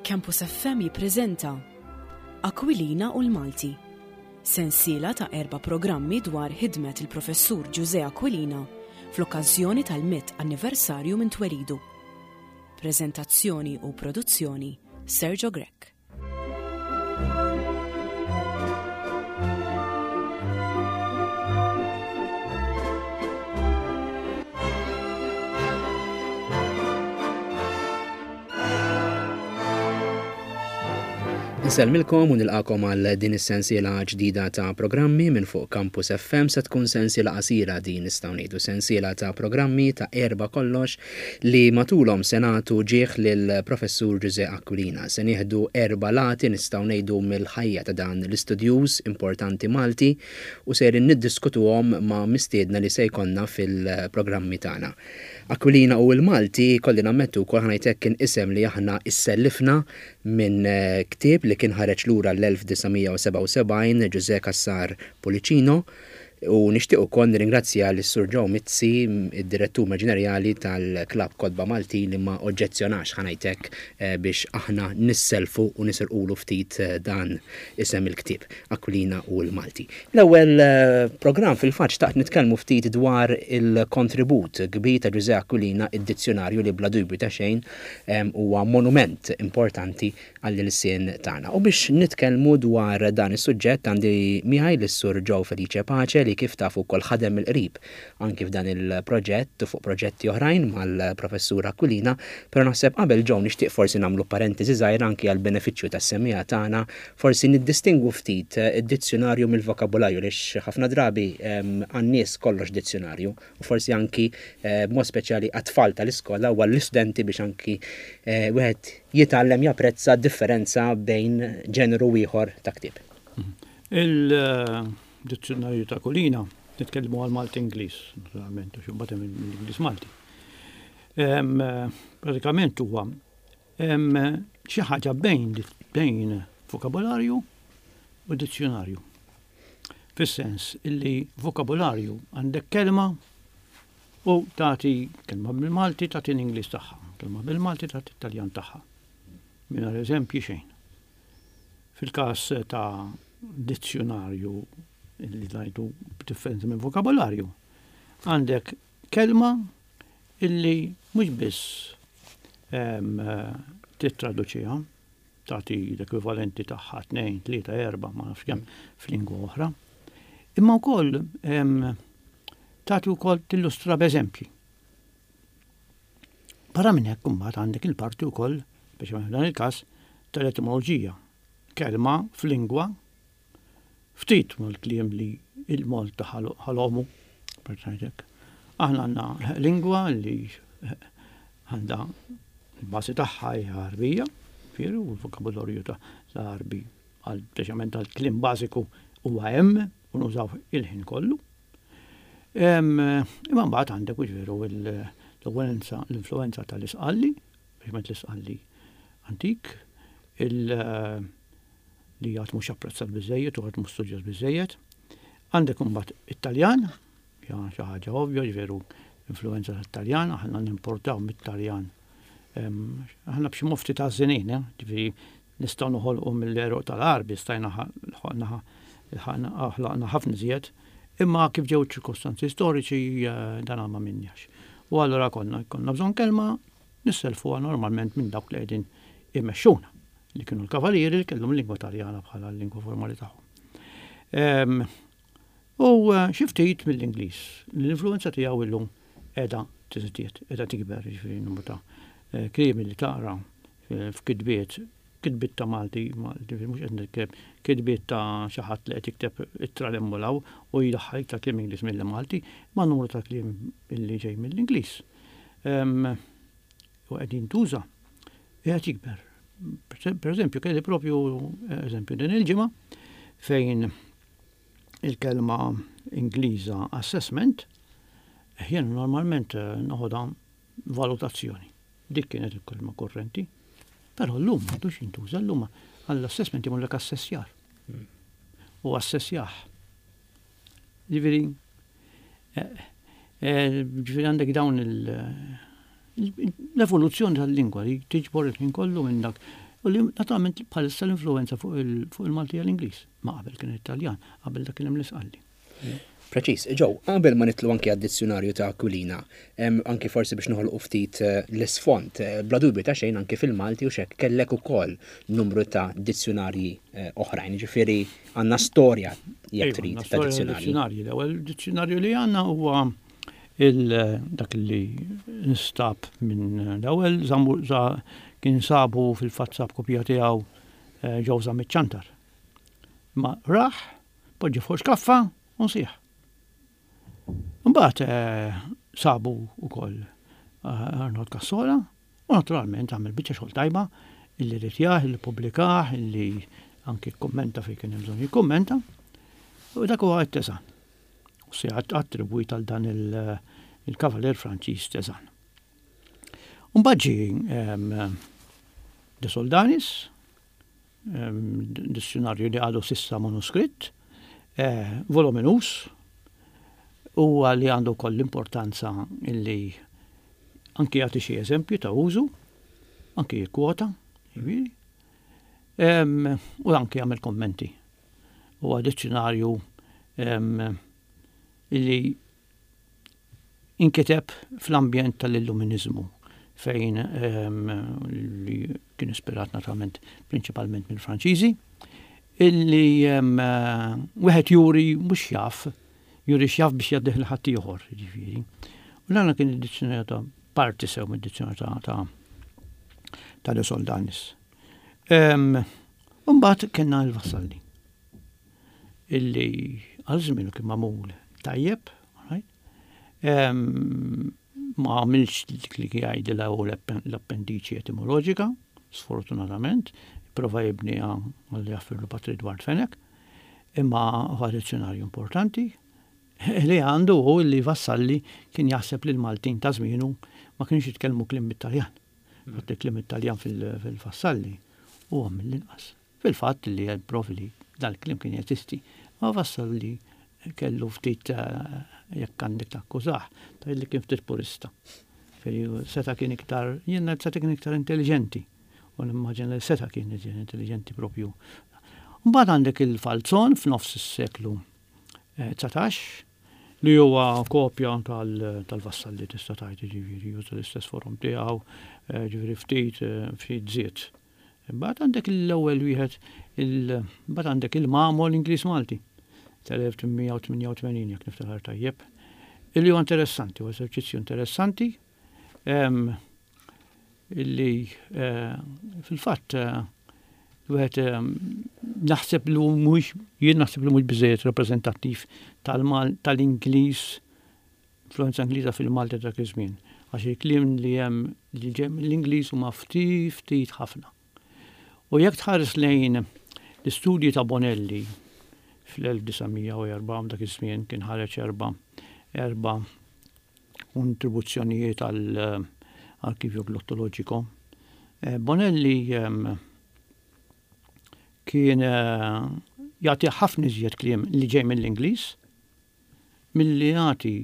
Campus FM jippreżenta Aquilina u l-Malti, sensiela ta' erba' programmi dwar ħidmet il-Professur Ġużè Aquilina fl-okkażjoni tal-mitt anniversarju minn twelidu. Preżentazzjoni u produzzjoni Sergio Grech. Insellmilkom u nilqakom għal din is-sensiela ġdida ta' programmi minn fuq Campus FM se tkun sensiela qasira din nistgħu ngħidu sensiela ta' programmi ta' erba' kollox li matulhom se nagħtu ġieħ lill-Professur Ġużè Aquilina. Se nieħdu erba' lati nistgħu ngħidu mill-ħajja ta' dan l-istudjuż importanti Malti u sejrin niddiskutuhom ma' mistiedna li se jkollna fil-programmi tagħna. Aquilina u l-Malti, kolli nammettu wkoll ħa ngħid hekk kien isem li aħna issellifna minn ktieb li kien ħareġ lura l-1977 Ġużè Cassar Pullicino u nixtieq ukoll nirringrazzja lis-Sur Joe Mizzi, id-Direttur Maġinerjali tal-Klabb Kotba Maltin li ma oġġezzjonax ħa ngħid hekk biex aħna nisselfu u nisirqulu ftit dan isem il-ktieb. Aquilina u l-Malti. L-ewwel programm fil-fatt xtaqt nitkellmu ftit dwar il-kontribut kbir ta' Ġużè Aquilina id-dizzjunarju li bla dubju ta' xejn huwa monument importanti għall-ilsien tagħna. U biex nitkellmu dwar dan is-suġġett għandi miegħi lis-Sur Joe Felice Pace li kif tafu wkoll ħadem mill-qrib anki f'dan il-proġett u fuq proġetti oħrajn mal-Professur Aquilina, però naħseb qabel Joe nixtieq forsi nagħmlu parentesi żgħira anki għall-benefiċċju tas-semmiegħa tagħna, forsi niddistingwu ftit id-dizzjunarju mill-vokabularju għaliex ħafna drabi għan-nies kollox dizzjunarju u forsi anki b'mod speċjali għat-tfal tal-iskola u għall-istudenti biex anki wieħed jitgħallem japprezza d-differenza bejn ġeneru u ieħor ta' ktieb. Il-dizzjunarju ta' Aquilina, nitkellmu għal Malti-Ingliż, naturalment, għax imbagħad hemm l-Ingliż-Malti. Pratikament huwa xi ħaġa bejn bejn vokabolarju u dizzjunarju. Fis-sens illi vokabolarju għandek kelma u tagħti kelma bil-Malti tagħti l-Ingliż tagħha, kelma bil-Malti tagħti t-Taljan tagħha. Mingħajr eżempji xejn. Fil-każ ta' dizzjunarju li ngħidu b'differenza minn vokabolarju, għandek kelma illi mhux biss tittraduċiha, tagħti l-ekwivalenti tagħha tnejn, tlieta, erba', ma nafx kemm f'lingwa oħra, imma wkoll tagħti wkoll tillustra b'eżempji. Barra minn hekk imbagħad għandek il-parti wkoll, speċjalment f'dan il-każ, tal-etimoloġija. Kelma f'lingwa ftit mal-kliem li il-Malta ħalomu, per ngħidlek. Aħna għandna lingwa li għandha l-bażi tagħha hija Għarbija, ġifieri u l-vokabularju ta' Għarbi għal speċjalment għall-kliem bażiku huwa hemm u nużaw il-ħin kollu. Imma mbagħad għandek hux veru l-influenza l-influenza tal-Isqalli, speċjalment l-Isqalli antik, li għad mhux apprezzat biżejjed u għad mhux studjat biżejjed. Għandek imbagħad it-Taljan, hija xi ħaġa ovvja, ġveru influenza tat-Taljan, aħna nimportaw mit-Taljan. Aħna b'xi mofti ta' żinin, eh, ġifieri Nistgħu noħolqu mill-għeruq tal-Għarbi, stajna ħlaqna ħafna iżjed, imma kif ġew iċ-ċirkostanzi storiċi dan ma minniex. U allura konna jkollna bżonn kelma nisselfuha normalment minn dawk li qegħdin imexxuna, li kienu l-Kavalieri li kellhom il-lingwa Taljana bħala l-lingwa formali tagħhom. U xi ftit mill-Ingliż, li l-influwenza tiegħu illum qiegħda tiżdied, qiegħda tikber, jiġifieri n-numru ta' kliem li taqra f'kitbiet, kitbiet ta' Malti, ġifieri mhux qed nitkellem kitbiet ta' xi ħadd li qed jikteb ittra 'l hemm u 'l hawn u jdaħħal iktar kliem Ingliż milli Malti, imma numru ta' kliem illi ġej mill-Ingliż u qed jintuża qiegħed jikber. Pereżempju, kelli propju eżempju din il-ġimgħa fejn il-kelma Ingliża assessment jien normalment noħodha valutazzjoni. Dik kienet il-kelma kurrenti. Però llum m'għadux jintuża, llum għall-assessment jagħmlullek assessjar. U assessjah. Ġifieri, eh, eh, ġifieri għandek dawn l-evoluzzjoni tal-lingwa li tiġbor il-ħin kollu minn dak. U li naturalment bħalissa l-influenza fuq il-Malti hija l-Ingliż, ma qabel kien it-Taljan, qabel dak kien hemm l-Isqalli. Preċiż. Joe, qabel ma nidħlu anki għad-dizzjunarju ta' Aquilina, anki forsi biex noħolqu ftit l-isfond, bla dubju ta' xejn anki fil-Malti u x'hekk kellek ukoll numru ta' dizzjunarji oħrajn, jiġifieri għandna storja jekk trid ta' dizzjunarji. L-ewwel dizzjunarju li għandna huwa dak li nstab minn l-ewwel kien sabu fil-fatt sab kopja tiegħu Joe Zammit Ciantar. Ma rah Poġġi fuq xkaffa u nsieħ. Imbagħad sabu wkoll Arnold Cassola u naturalment għamel biċċa xogħol tajba illi ritjah, illi ppubblikah, illi anki kkummenta fejn kien hemm bżonn jikkummenta. U dak huwa t-Teżan. U se attribwit għal dan il-Kavalier Franċiż Teżan. Mbagħad ġie De Soldanis, Dizzjunarju li għadu s'issa manuskritt, voluminuż, huwa li għandu wkoll l-importanza li anki jagħti xi eżempju ta' użu, anki jikkwota, jiġifieri, u anki jagħmel kummenti. Huwa dizzjunarju li inkiteb fl-ambjent tal-Illuminiżmu fejn li kien ispirat naturalment prinċipalment mill-Franċiżi, illi wieħed juri mhux jaf, juri x'jaf biex jgħaddih lil ħaddieħor, jiġifieri. U dan kien id-dizzjunarju ta' parti sew mid-dizzjunarju ta' ta' ta' De Soldanis. Imbagħad kellna l-Vassalli. Illi għal żmienu kien magħmul tajjeb, right? Ma għamilx dik li jgħidilha hu l-appendiċi etimoloġika, sfortunatament, prova jibniha għal jaffirlu Patri Edward Fenech, imma huwa dizzjonarju importanti li għandu hu li Vassalli kien jaħseb li l-Maltin ta' żmienu ma kienux jitkellmu kliem bit-Taljan. Fatt il-kliem it-Taljan fil-Vassalli huwa mill-inqas. Fil-fatt li hemm provi li dal-kliem kien jeżisti, ma Vassalli kellu ftit jekk għandek takkużah, tgħid li kien ftit purista. Ġifieri seta' kien iktar, jien ngħid seta' kien iktar intelliġenti. U nimmaġina li seta' kien iżjed intelliġenti propju. Mbagħad għandek il-Falzon f'nofs is-seklu 19 li huwa kopja tal-Vassalli tista' tgħid jiġifieri juża l-istess forom tiegħu, ġifieri ftit ftit żied. Imbagħad għandek l-ewwel wieħed imbagħad għandek il-Mamol Ingliż Malti tal-1888 jekk niftakar tajjeb. Illi huwa interessanti, huwa eżerċizzju interessanti illi eh, fil-fatt eh, wieħed naħseb li mhux jien naħseb li mhux biżejjed rappreżentattiv tal-Ingliż Influwenza Ingliża fil-Malti ta' dak iż-żmien, għax il-kliem li hemm li ġej mill-Ingliż huma ftit ftit ħafna. U jekk tħares lejn l-istudji ta' Bonelli fl-1904 dak iż-żmien kien ħareġ erba' erba' kontribuzzjonijiet għal Arkivju Glottoloġiko. Eh, Bonelli ehm, kien eh, jagħti ħafna iżjed kliem li ġej mill-Ingliż milli jagħti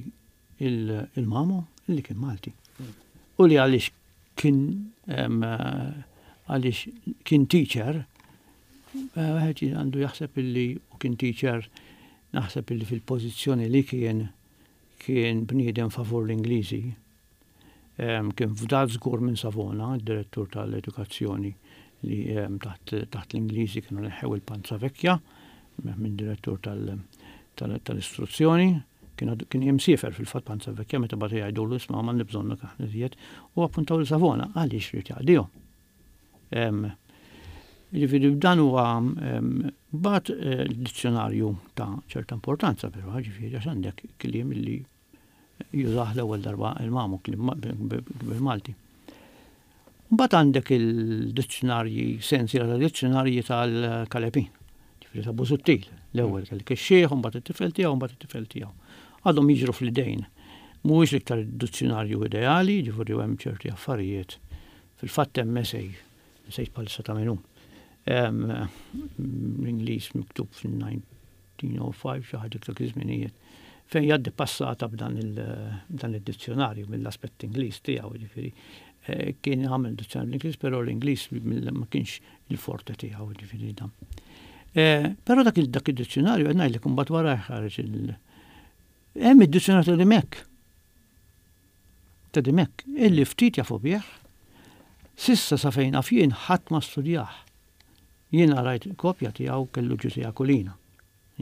il-Mamo li kien Malti. U li għaliex kien għaliex kien teacher, wieħed għandu jaħseb illi u kien teacher naħseb illi fil-pożizzjoni li kien kien bniedem favur l-Ingliżi. Kien fdat żgur minn Savona, id-direttur tal-edukazzjoni li taħt l-Ingliżi kienu neħħew il-Panza Vecchia minn direttur tal-istruzzjoni. Kien imsiefer fil-fatt Panza Vecchia meta bagħtu jgħidulu isma' m'għandna bżonnok aħna iżjed u appuntaw lil Savona għaliex ried jaqdihom. Jiġifieri dan huwa mbagħad eh, dizzjonarju ta' ċerta importanza però ġifieri għax għandek kliem li jużah l-ewwel darba il-mamu bil-Malti. Mbagħad għandek il-dizzjonarji, sensiela ta' dizzjonarji tal-Kalepin, ġifieri ta' Busuttil. L-ewwel kellek ix-xiħ, mbagħad it-tifel tiegħu, mbagħad it-tifel tiegħu. Għadhom jiġru fl-idejn. Mhuwiex l-iktar dizzjonarju ideali, ġifieri hemm ċerti affarijiet. Fil-fatt hemm esej, nsejt bħalissa ta' min hu. L-Ingliż miktub fin-19 1905, xi ħaġa dak iż-żminijiet, fejn jgħaddi passata b'dan id-dizzjonarju mill-aspett Ingliż tiegħu, jiġifieri. Kien għamel dizzjonarju bl-Ingliż, però l-Ingliż ma kienx il-forte tiegħu ġifieri dan. Però dak id-dizzjonarju qed ngħidlek imbagħad wara ħareġ il- Hemm id-dizzjonarju ta' Dimech. Ta' Dimech, illi ftit jafu bih, sissa sa fejn naf jien ħadd ma studjah. Jiena rajt kopja tiegħu kellu Ġużè Aquilina.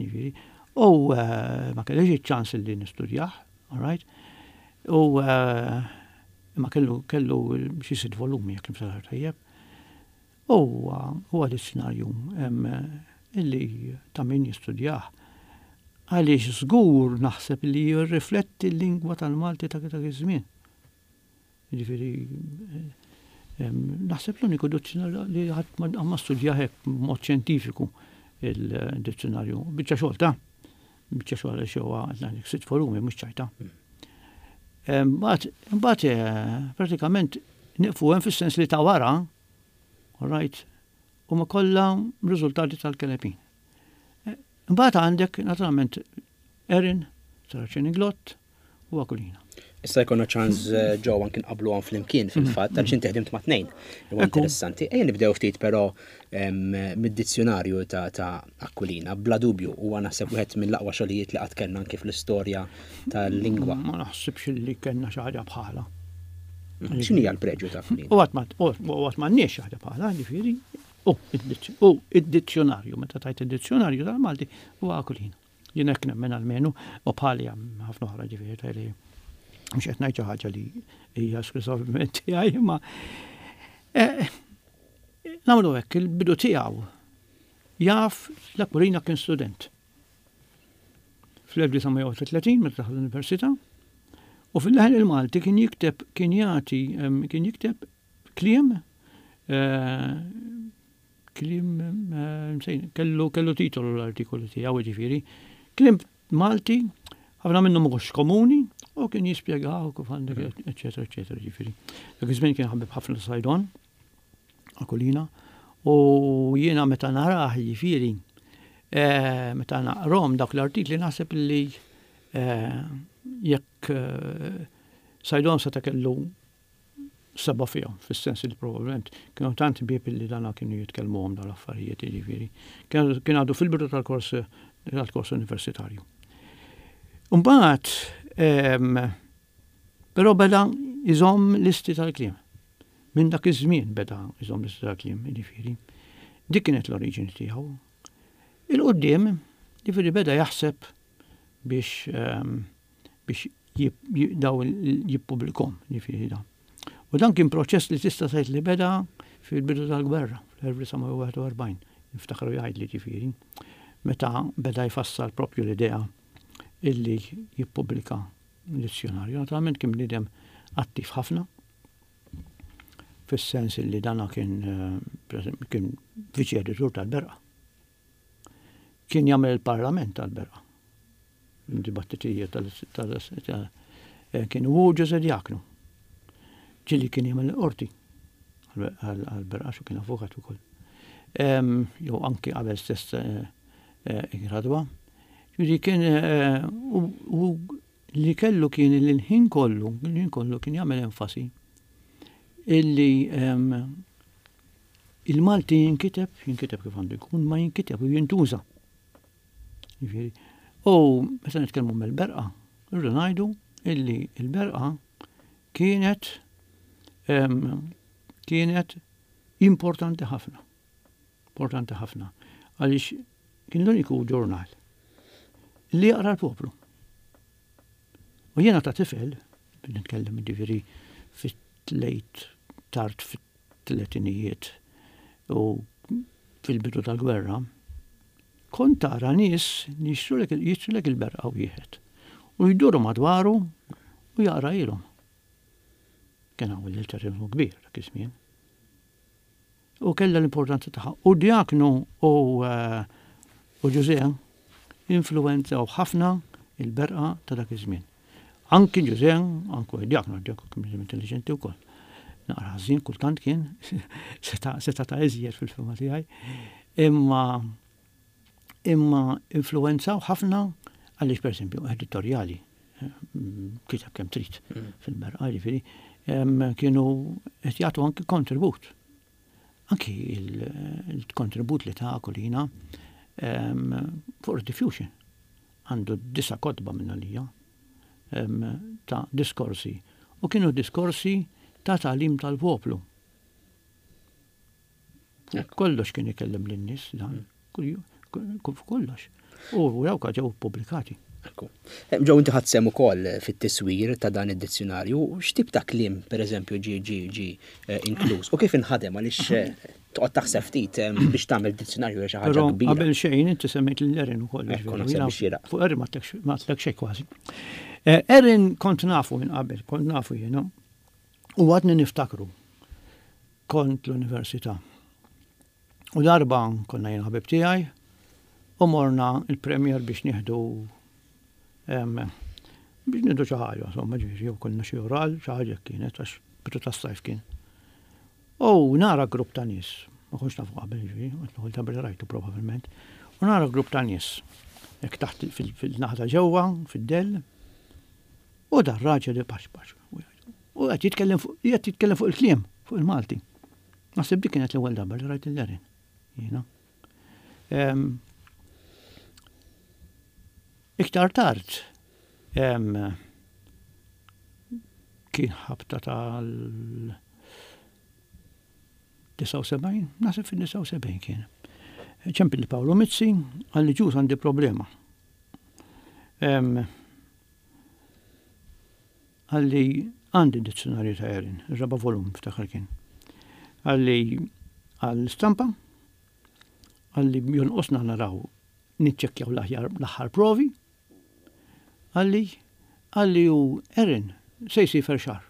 Jiġifieri, u eh, ma kellix iċ-ċans li nistudjah, all right? U eh, imma kellu kellu xi sitt volumi jekk niftakar tajjeb. U huwa dizzjonarju illi ta' min jistudjah. Għaliex żgur naħseb li jirrifletti l-lingwa tal-Malti ta' dak iż-żmien. Jiġifieri naħseb l-uniku dizzjonarju li ħadd ma studja hekk b'mod xjentifiku il-dizzjonarju. Biċċa xogħol ta' biċċa xogħol għaliex huwa sitt volumi mhux ċajta. Mbagħad eh, pratikament nieqfu hemm fis-sens li ta' wara, all right, huma kollha riżultati tal-kelepin. Eh, mbagħad għandek naturalment Erin, Saracen Inglott, u Aquilina. Issa jkollna ċans eh, ġew anki nqabluhom flimkien fil-fatt għaliex inti ħdimt ma' tnejn. Huwa interessanti. Ejja nibdew ftit però mid-dizzjonarju ta' Aquilina. Bla dubju huwa naħseb wieħed mill-aqwa xogħlijiet li qatt kellna anki fl-istorja tal-lingwa. Ma naħsibx li kellna xi ħaġa bħala. X'inhi l-preġju ta' Aquilina? U qatt m'għandniex xi ħaġa bħala, ġifieri. U id-dizzjonarju, meta tajt id-dizzjonarju tal-Malti huwa Aquilina. Jien hekk nemmen almenu, u bħali hemm ħafna oħra ġifieri ta' li mhux qed ngħid xi ħaġa li hija esklusivament tiegħi, imma eh, nagħmlu hekk il-bidu tiegħu jaf l-Aquilina kien student. Fl-1931 meta daħal l-università u fil-leħen il-Malti kien jikteb kien jagħti kien jikteb kliem eh, Kliem, kellu kellu titolu l-artikolu tiegħu jiġifieri. Kliem Malti, ħafna minnhom mhux komuni, u kien jispjegaw kif għandek, eċetera, eċetera, jiġifieri. Dak iż-żmien kien ħabib ħafna Sajdon, Akulina, u jiena meta narah jiġifieri, eh, meta naqrom dak l-artikli naħseb li eh, jekk eh, Sajdon seta' kellu seba' fihom, fis-sens li probabbilment kienu tant ħbieb li dana kienu jitkellmuhom dawn l-affarijiet, jiġifieri. Kien għadu fil-bidu tal-kors tal-kors universitarju. Mbagħad però beda jżomm listi tal-kliem. Minn dak iż-żmien beda jżomm listi tal-kliem, jiġifieri. Dik kienet l-oriġini tiegħu. Il-qudiem, jiġifieri beda jaħseb biex biex daw jippubblikhom, jiġifieri dan. U dan kien proċess li tista' tgħid li beda fil-bidu tal-gwerra, fl-1941, niftakru jgħidli ġifieri, meta beda jfassal propju l-idea illi jippubblika dizzjonarju. Naturalment kien bniedem attiv ħafna, fis-sens illi dana kien eh, kien viċi editur tal-Berqa. Kien jagħmel il-parlament tal-Berqa. Dibattitijiet tal eh, kien u Ġuże Diaknu. Ġili kien jagħmel il-qorti għal-Berqa xu kien avukat ukoll. Jew anki qabel stess eh, eh, gradwa. Ġifieri kien u li kellu kien li l-ħin kollu, l-ħin kollu kien jagħmel enfasi illi il-Malti jinkiteb, jinkiteb kif għandu jkun, ma jinkiteb u jintuża. Jiġifieri, u meta nitkellmu mill-berqa, rridu ngħidu illi l-berqa kienet kienet importanti ħafna. Importanti ħafna. Għaliex kien l-uniku ġurnal li jaqra l-poplu. U jiena ta' tifel, nitkellem ġifieri fit-lejt tard fit tletinijiet u fil-bidu tal-gwerra, kont tara nies li jixtrulek il-berqa wieħed u jduru madwaru u jaqrajilhom. Kien hawn il-litterizmu kbir dak iż-żmien. U kellha l-importanza tagħha. U Diaknu u eh, u Ġużè influwenzaw ħafna il-berqa ta' dak iż-żmien. Anki Ġużè, anku Diaknu, Diaknu kien intelligenti wkoll. Naqra ħażin kultant kien, seta' ta' iżjed fil-fema tiegħi. Imma imma influwenzaw ħafna għaliex pereżempju editorjali kiteb kemm trid mm. fil-berqa, ġifieri. Kienu qed jagħtu anki kontribut. Anki il-kontribut li ta' Aquilina fuq rediffusion. Għandu disa kotba minn għalija ta' diskorsi. U kienu diskorsi ta' tagħlim tal-poplu. Kollox kien ikellem lin-nies dan. Kollox. U dawk ġew ippubblikati. Ekku. Eh, Ġew inti ħadd sehem ukoll fit-tiswir ta' dan id-dizzjonarju, x'tip ta' kliem pereżempju ġie ġie ġie eh, inkluż u kif inħadem għaliex eh, toqgħod taħseb ftit biex tagħmel dizzjonarju xi ħaġa kbira. Qabel xejn inti semmejt lil Erin ukoll. Ekku, naħseb biex xieraq. Fuq Erin ma tlek xejn kważi. Erin kont nafu minn qabel, kont nafu jiena. U għadni niftakru. Kont l-università. U darba konna jien ħabib tiegħi u morna il-Premier biex nieħdu biex nieħdu xi ħaġa, insomma, ġifieri jew konna xi oral, xi ħaġa kienet għax bidu tas-sajf kien. U nara grupp ta' nies, ma kontx nafu qabel ġifieri, għax l-ewwel darba li rajtu probabbilment, u nara grupp ta' nies hekk taħt fil-naħa ta' ġewwa, fid-dell, u dar raġel ipaxpax. U qed jitkellem fuq qed jitkellem fuq il-kliem, fuq il-Malti. Naħseb dik kienet l-ewwel darba li rajt il-Lerin. Jiena. Iktar tard kien ħabta tal 79, naħseb fil-79 kien. Ċempil li Paolo Mizzi, għalli ġus għandi problema. Qalli, Għandi d-dizzjunarju ta' Erin, ir-raba' volum niftakar kien. Qalli, Għall-istampa? Qalli, Jonqosna naraw niċċekkjaw l-aħjar l-aħħar provi. Qalli, Qalli u Erin se jsiefer xahar.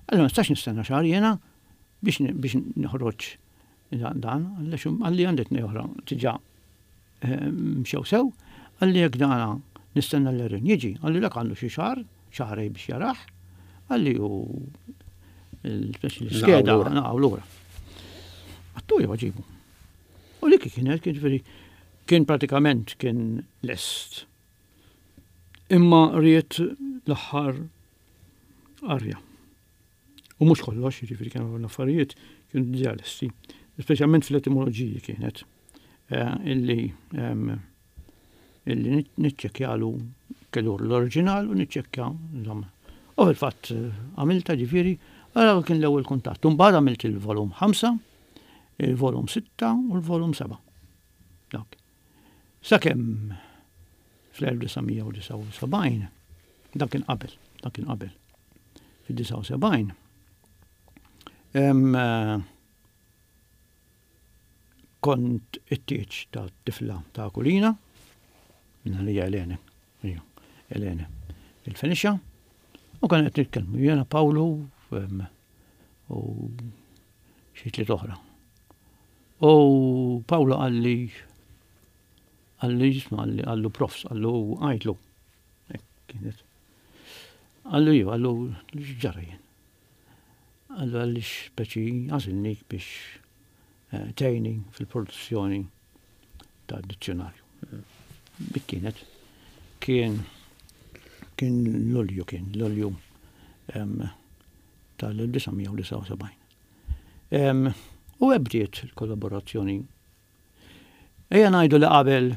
Qalli ma nistax nistenna xahar jiena biex biex noħroġ dan, qalli għandi tnej oħra diġà Mxew sew, qalli jekk dana nistenna l-Erin jiġi, qalli dak għandu xi xahar, xahrejn biex jarah, qalli u l-skeda naqgħu lura. Għattu jew ġibu. U dik kienet, kien ġifieri kien pratikament kien lest. Imma ried l-aħħar arja. U mhux kollox, jiġifieri kienu l-affarijiet kienu diġà lesti. Speċjalment fl-etimoloġiji kienet eh, illi ehm, illi niċċekkjalu kellu l-oriġinal u niċċekkja insomma. U fil-fatt eh, għamilta ġifieri, għara kien l-ewwel kuntatt. Imbagħad għamilt il-volum 5, il-volum 6 u l-volum 7. Dak. Sakemm fl-1979, dak kien qabel, dak kien qabel, fid-79, kont it-tieġ ta' tifla ta' Kulina, minna li Elene, Elene, il-Fenixa, u kan qed nitkellmu jiena Pawlu u xi tliet oħra. U Pawlu qalli qalli jisma' qalli qallu profs qallu għidlu. Hekk kienet. Qallu iva, qallu x'ġara jien. Qallu għaliex speċi għażilnik biex eh, tgħinni fil-produzzjoni ta' dizzjonarju. Dik kienet. Kien kien Lulju kien Lulju tal-1979. U hekk bdiet il-kollaborazzjoni. Ejja ngħidu li qabel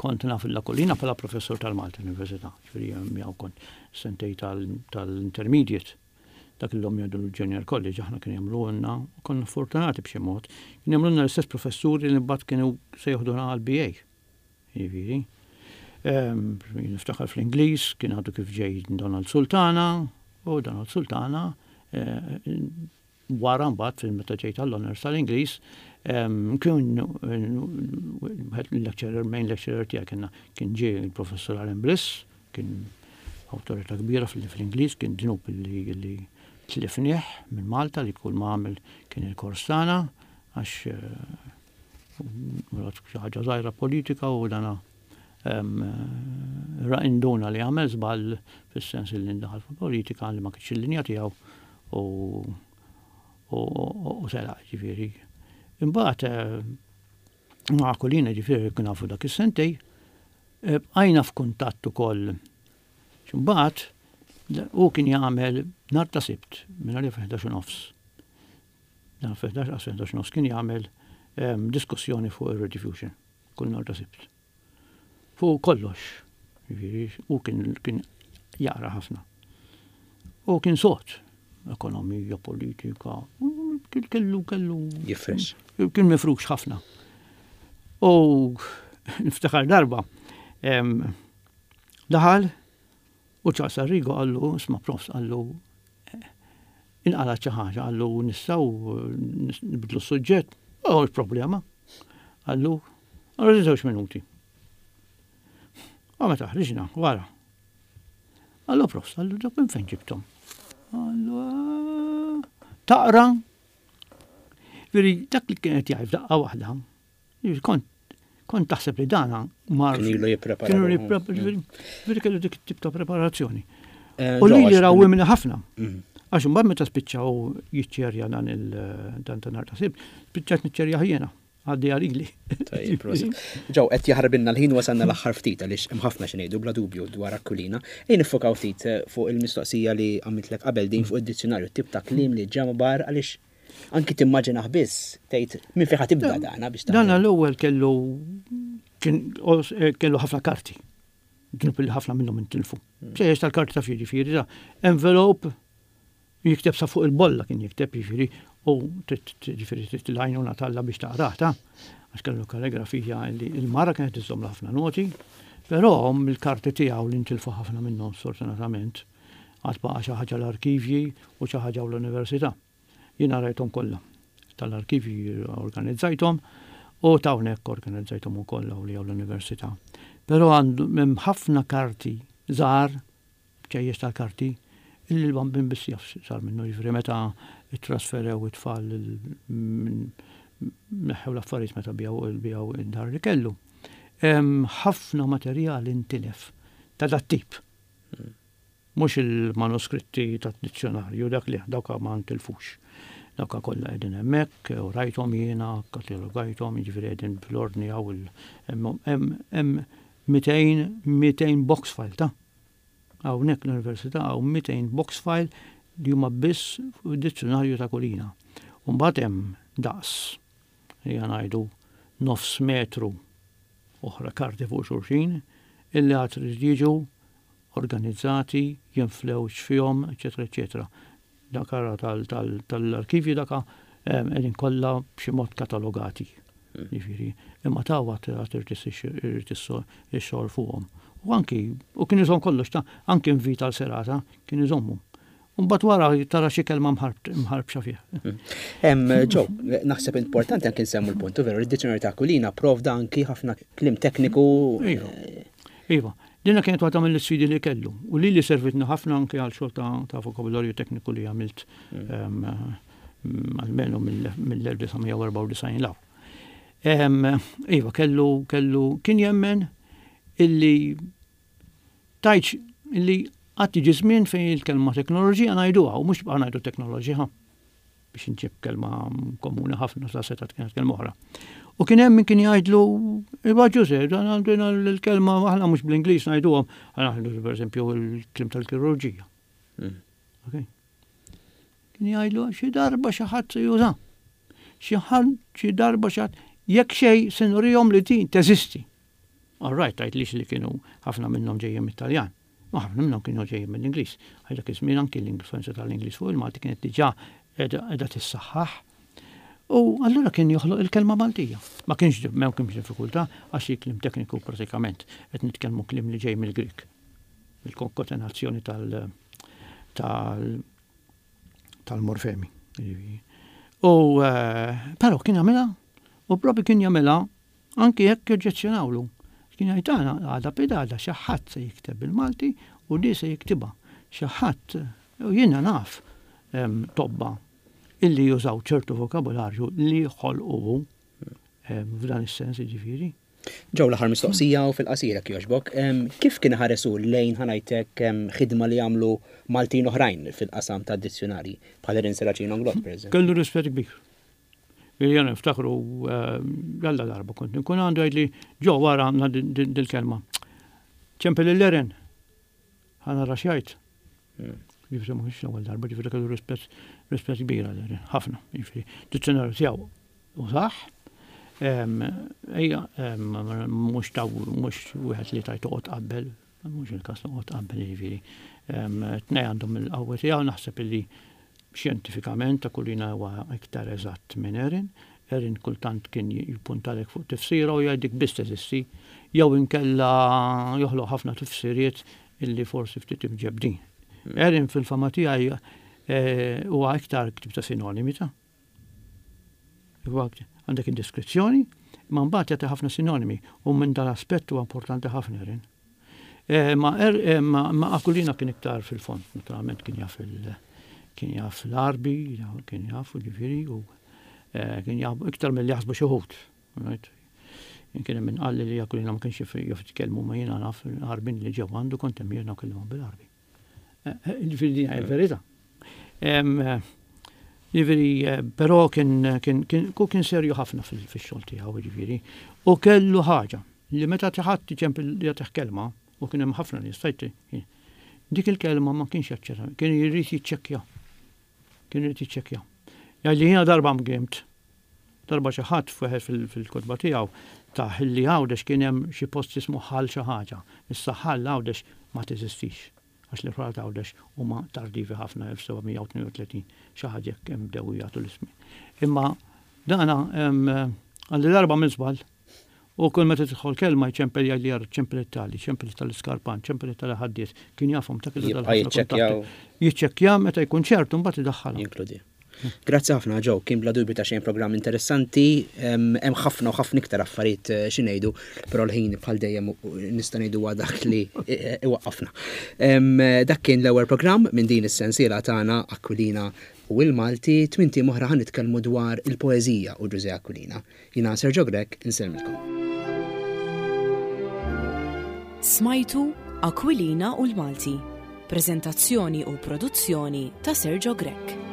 kont naf il-Lakulina bħala professur tal-Malta Università, ġifieri miegħu kont sentej tal-intermediate. Dak illum jgħidu l-Junior College, aħna kien jagħmlulna, konna fortunati b'xi mod, kien jagħmlulna l-istess professuri li mbagħad kienu se joħduna għall-BA. Jiġifieri. Niftakar fl-Ingliż kien għadu kif ġej Donald Sultana u Donald Sultana eh, wara mbagħad fil-meta ġejt għall-honors tal-Ingliż kien il-lecturer, main lecturer tiegħek kienna kien ġie il-professur Alan Bliss, kien awtorità kbira fl-Ingliż, kien dnub li tlifnieh minn Malta li kull ma għamel kien il-kors tagħna għax eh, xi ħaġa żgħira politika u dana ra induna li għamel żball fis-sens li ndaħal fil-politika li ma kienx il-linja tiegħu u u telaq ġifieri. Imbagħad eh, ma' Kulina ġifieri kien nafu dak is-sentej, eh, bqajna f'kuntatt ukoll. Imbagħad Hu kien jagħmel nhar ta' Sibt minn għalija fi 11 nofs. Nhar fi 11 qas 11 nofs kien jagħmel ehm, diskussjoni fuq ir-rediffusion kull nhar ta' Sibt. Fuq kollox. Jiġifieri, hu kien kien jaqra ħafna. U kien sod, ekonomija, politika, kellu kellu. Jifrex. Kien mifrux ħafna. U niftakar darba, daħal u Charles Arrigo qallu, isma' profs qallu, inqalgħet xi ħaġa, qallu nistgħu nibdlu s-suġġett, oh, problema. Qallu, qallu żewġ minuti. U meta ħriġna, wara. Qallu profs, qallu dak minn fejn ġibthom? Qallu, ah, taqra. Veri, dak li kienet jgħid daqqa waħda, Kont kont taħseb li dana mar. Kien ilu jipprepara. Kienu jipprepara. Veri kellu dik tip ta' preparazzjoni. Eh, U li li raw minna ħafna. Mm. Għax imbagħad meta spiċċaw jiċċerja dan il-dan ta' nar ta' sib, spiċċat niċċerja jiena għaddi għalili. Ġew, qed jaħarbinna l-ħin wasalna l-aħħar ftit għaliex hemm ħafna xi ngħidu bla dubju dwar Aquilina. Ejja niffokaw ftit eh, fuq il-mistoqsija li għamiltlek qabel din fuq id-dizzjonarju tip ta' kliem li ġambar għaliex Anki timmaġinah biss, tgħid minn fejn ħa tibda dana biex tagħmel. Dana l-ewwel kellu eh, kellu ħafna karti. Dnub li ħafna minnhom intilfu. Hmm. Bċejjex tal-karti ta' jiġifieri, ta' envelope jikteb sa fuq il-bolla kien jikteb jiġifieri u jiġifieri trid l-għajnuna talla biex taqrah ta' għax kellu kalligrafija li il-mara kienet iżżomm ħafna noti, però mill-karti tiegħu li ntilfu ħafna minnhom sfortunatament għad baqa' xi ħaġa l-arkivji u xi ħaġa l-università. Jiena rajthom kollha. Tal-arkivji organizzajthom u ta' hawnhekk organizzajthom ukoll hawn li hawn l-università. Però għandu hemm ħafna karti żgħar, bċejjeċ tal-karti, illi l-bambin biss jaf sar minnu, jiġifieri meta ttrasferew it-tfal neħħew l-affarijiet meta biegħu biegħu id-dar li kellu. Hemm ħafna materjal intilef ta' dat-tip. Mhux il-manuskritti tad-dizzjonarju, dak le, dawk ma ntilfux. Dawk kollha qegħdin hemmhekk, u rajthom jiena, katalogajthom, jiġifieri qegħdin fl-ordni hawn hemm 200, 200 box file ta'. Hawnhekk l-Università hawn 200 box file li huma biss fuq id-dizzjonarju ta' Kulina. U mbagħad hemm daqs, ejja ngħidu nofs metru oħra karti fuq xulxin illi għad irid jiġu organizzati, jinflew x'fihom, eċċetera eċċetera. Dak ara tal-arkivji daka qegħdin kollha b'xi mod katalogati. Hmm. Jiġifieri, imma ta' għad irid ix-xogħol fuqhom. U anki, u kien iżomm kollox ta' anki invita l serata kien iżommu. Mbagħad wara tara xi kelma mħarbxa fih. Ġo, naħseb importanti anki nsemmu l-punt, veru, id-dizzjonarju ta' Aquilina provda anki ħafna kliem tekniku. Iva, iva. Dina kienet waħda mill-isfidi li kellu u li li servitni ħafna anki għal xogħol ta' vokabularju tekniku li għamilt mm. almenu mill-1994 law. Iva, kellu, kellu, kien jemmen illi Tgħidx li għad jiġi żmien fejn il-kelma teknoloġija ngħiduha u mhux tibqa' ngħidu teknoloġija biex inġib kelma komuni ħafna sa setgħet kienet kelma oħra. U kien hemm min kien jgħidlu, Iva Ġuże, dan għandina l-kelma aħna mhux bl-Ingliż ngħiduhom, aħna ngħidu pereżempju l-kliem tal-kirurġija. Mm. Okay. Kien jgħidlu xi darba xi ħadd se juża. Xi ħadd xi darba xi ħadd jekk xejn se nurihom li din teżisti. All right, tgħidlix li kienu ħafna minnhom ġejjin mit-Taljan. Ma ħafna minnhom kienu ġejjin mill-Ingliż. Għal dak iż-żmien anki l-influenza tal-Ingliż fuq il-Malti kienet diġà qiegħda tissaħħaħ. U allura kien joħloq il-kelma Maltija. Ma kienx ma kienx diffikultà għax il-kliem tekniku pratikament qed nitkellmu kliem li ġej mill-Grieg. Il-konkatenazzjoni tal tal tal-morfemi. U eh, però kien jagħmilha u propju kien jagħmilha Anki jekk joġġezzjonawlu. Kien jgħid għana għada pidgħada xi ħadd se jikteb bil-Malti u di se jiktibha. Xi ħadd, u jiena naf tobba illi jużaw ċertu vokabularju li ħolqu hu f'dan is-sens jiġifieri. Ġew l-aħħar mistoqsija u fil-qasir jekk jogħġbok. Kif kien iħares hu lejn ħa ngħidlek ħidma li għamlu Maltin oħrajn fil-qasam tad-dizzjunarji, bħal Erin Serracino Inglott pereżempju? Kellu rispett kbir. Jena niftakru, jalla darba kont nkun għandu jgħidli, ġo wara għandna dil-kelma. Ċempel il-Eren, ħa nara x'jgħid. Ġifieri ma kienx l-ewwel darba, ġifieri kellu rispett rispett kbir għal Erin, ħafna. Ġifieri dizzjonarju tiegħu użah. Ejja, mhux taw mhux wieħed li tajt toqgħod qabel, mhux il-każ toqgħod qabel jiġifieri. Tnej għandhom il-qawwa tiegħu naħseb illi xjentifikament Aquilina huwa iktar eżatt minn Erin. Erin kultant kien jippuntalek fuq tifsira u jgħidik biss teżisti, jew inkella joħloq ħafna tifsiriet illi forsi ftit imġebbdin. Erin fil-fama tiegħi eh, huwa iktar ktib ta' sinonimi ta' Għandek id-deskrizzjoni, imma mbagħad jagħti ħafna sinonimi u minn dan aspett huwa importanti ħafna Erin. Eh, ma, er, eh, ma, ma Aquilina kien iktar fil-fond, naturalment kien jaf il kien jaf l-Arbi, kien jaf ġifieri u eh, kien jaf iktar mill jaħsbu xi wħud. Kien hemm min qalli li Aquilina ma kienx jaf jitkellmu ma jiena naf Arbin li ġew għandu kont hemm jiena kellimhom bil-Arbi. Ġifieri din hija l-verità. Ġifieri, però kien kien kien kien serju ħafna fix-xogħol tiegħu, ġifieri. U kellu ħaġa li meta ħadd iċempel jagħtih kelma, u kien hemm ħafna nies tajt dik il-kelma ma kienx jaċċetta, kien jrid jiċċekkja. Kien irid jiċċekkja. Jgħidli jiena darba mgimt. Darba xi ħadd f'wieħed fil-kotba tiegħu tah li Għawdex kien hemm xi post jismu Ħal xi ħaġa. Issa Ħal Għawdex ma teżistix għax l-irħula t'Għawdex huma tardivi ħafna 1732 xi ħaġa hekk hemm bdew jagħtu l-ismi. Imma dana għalli darba minn żball u kull meta tidħol kelma jċempel jgħidli jara ċempel it-tali, ċempel tal-iskarpan, ċempel tal-ħaddies, kien jafhom ta' kellu dal-ħafna. Jiċċekkja meta jkun ċertu mbagħad idaħħalha. Jinkludi. Grazzi ħafna Joe, kien bla dubju ta' xejn programm interessanti, hemm ħafna u ħafna iktar affarijiet eh, xi ngħidu, però l-ħin bħal dejjem nista' ngħidu huwa dak li eh, iwaqqafna. Dak kien l-ewwel programm minn din is-sensiela tagħna Aquilina u l-Malti, tminti oħra ħa nitkellmu dwar il-poeżija u Ġużè Aquilina. Jiena Sergio Grech, insellmilkom. Smajtu Aquilina u l-Malti. Preżentazzjoni u produzzjoni ta' Sergio Grech.